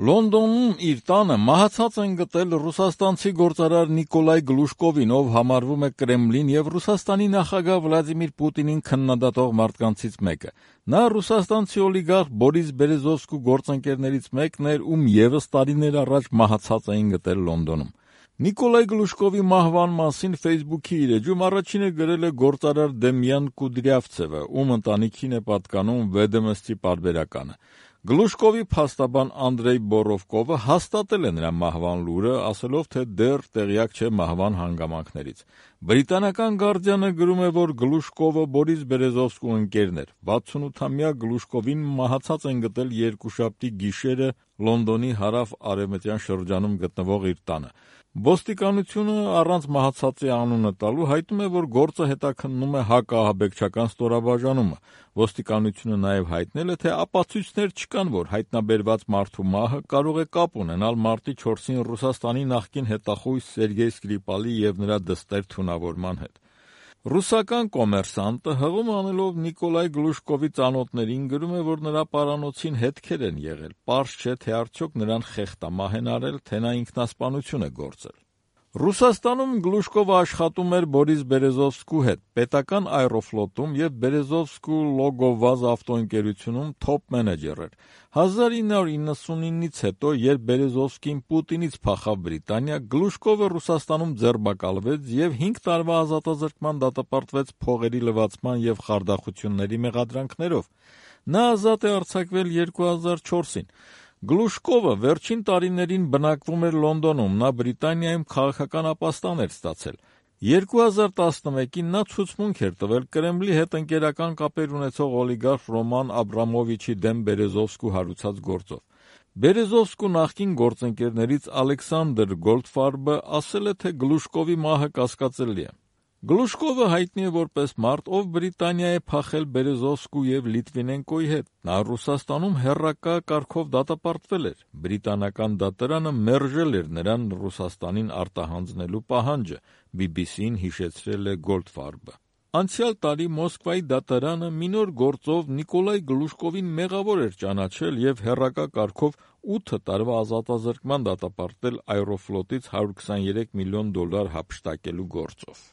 Լոնդոնում իր տանը մահացած են գտել ռուսաստանցի գործարար Նիկոլայ Գլուշկովին, ով համարվում է Կրեմլին եւ Ռուսաստանի նախագահ Վլադիմիր Պուտինին քննադատող մարդկանցից մեկը։ Նա ռուսաստանցի օլիգարխ Բորիս Բերեզովսկու գործընկերներից մեկն էր, ում եւս տարիներ առաջ մահացած էին գտել Լոնդոնում։ Նիկոլայ Գլուշկովի մահվան մասին Facebook-ի իր էջում առաջինը գրել է գործարար Դեմյան Կուդրյավցևը, ում ընտանիքին է պատկանում Վեդոմստի պարբերականը։ Գլուշկովի փաստաբան Անդրեյ Բորովկովը հաստատել է նրա մահվան լուրը, ասելով, թե դեռ տեղյակ չէ մահվան հանգամանքներից։ Բրիտանական Guardian-ը գրում է, որ Գլուշկովը Բորիս Բերեզովսկու ընկերն էր։ 68-ամյա Գլուշկովին մահացած են գտել երկուշաբթի գիշերը Լոնդոնի հարավ-արևմտյան շրջանում գտնվող իր տանը։ Ոստիկանությունը առանց մահացածի անունը տալու հայտնում է, որ գործը հետաքննում է հակաահաբեկչական ստորաբաժանումը։ Ոստիկանությունը նաև հայտնել է, թե ապացույցներ չկան, որ հայտնաբերված մարդու մահը կարող է կապ ունենալ մարտի 4-ին Ռուսաստանի նախկին հետախույզ Սերգեյ Սկրիպալի և նրա դստեր թունավորման հետ։ Ռուսական կոմերսանտը հղում անելով Նիկոլայ Գլուշկովի ծանոթներին գրում է, որ նրա պարանոցին հետքեր են եղել, պարզ չէ, թե արդյոք նրան խեղդամահ են արել, թե նա ինքնասպանություն է գործել։ Ռուսաստանում Գլուշկովը աշխատում էր Բորիս Բերեզովսկու հետ, պետական Aeroflot-ում և Բերեզովսկու Լոգովազ ավտոընկերությունում թոփ մենեջեր էր։ 1999-ից հետո, երբ Բերեզովսկին Պուտինից փախավ Բրիտանիա, Գլուշկովը Ռուսաստանում ձերբակալվեց և 5 տարվա ազատազրկման դատապարտվեց փողերի լվացման և խարդախությունների մեղադրանքներով։ Նա ազատ է արձակվել 2004-ին։ Գլուշկովը վերջին տարիներին բնակվում էր Լոնդոնում, նա Բրիտանիայում քաղաքական ապաստան էր ստացել։ 2011-ին նա ցուցմունք էր տվել Կրեմլի հետ ընկերական կապեր ունեցող օլիգարխ Ռոման Աբրամովիչի դեմ Բերեզովսկու հարուցած գործով։ Բերեզովսկու նախկին գործընկերներից Ալեքսանդր Գոլդֆարբը ասել է, թե Գլուշկովի մահը կասկածելի է։ Գլուշկովը հայտնի է որպես մարդ, ով Բրիտանիա է փախել Բերեզովսկու և Լիտվինենկոյի հետ։ Նա Ռուսաստանում հեռակա կարգով դատապարտվել էր։ Բրիտանական դատարանը մերժել էր նրան Ռուսաստանին արտահանձնելու պահանջը, BBC-ին հիշեցրել է Գոլդֆարբը։ Անցյալ տարի Մոսկվայի դատարանը մի նոր գործով Նիկոլայ Գլուշկովին մեղավոր էր ճանաչել և հեռակա կարգով 8 տարվա ազատազրկման դատապարտել Aeroflot-ից $123 միլիոն հափշտակելու գործով։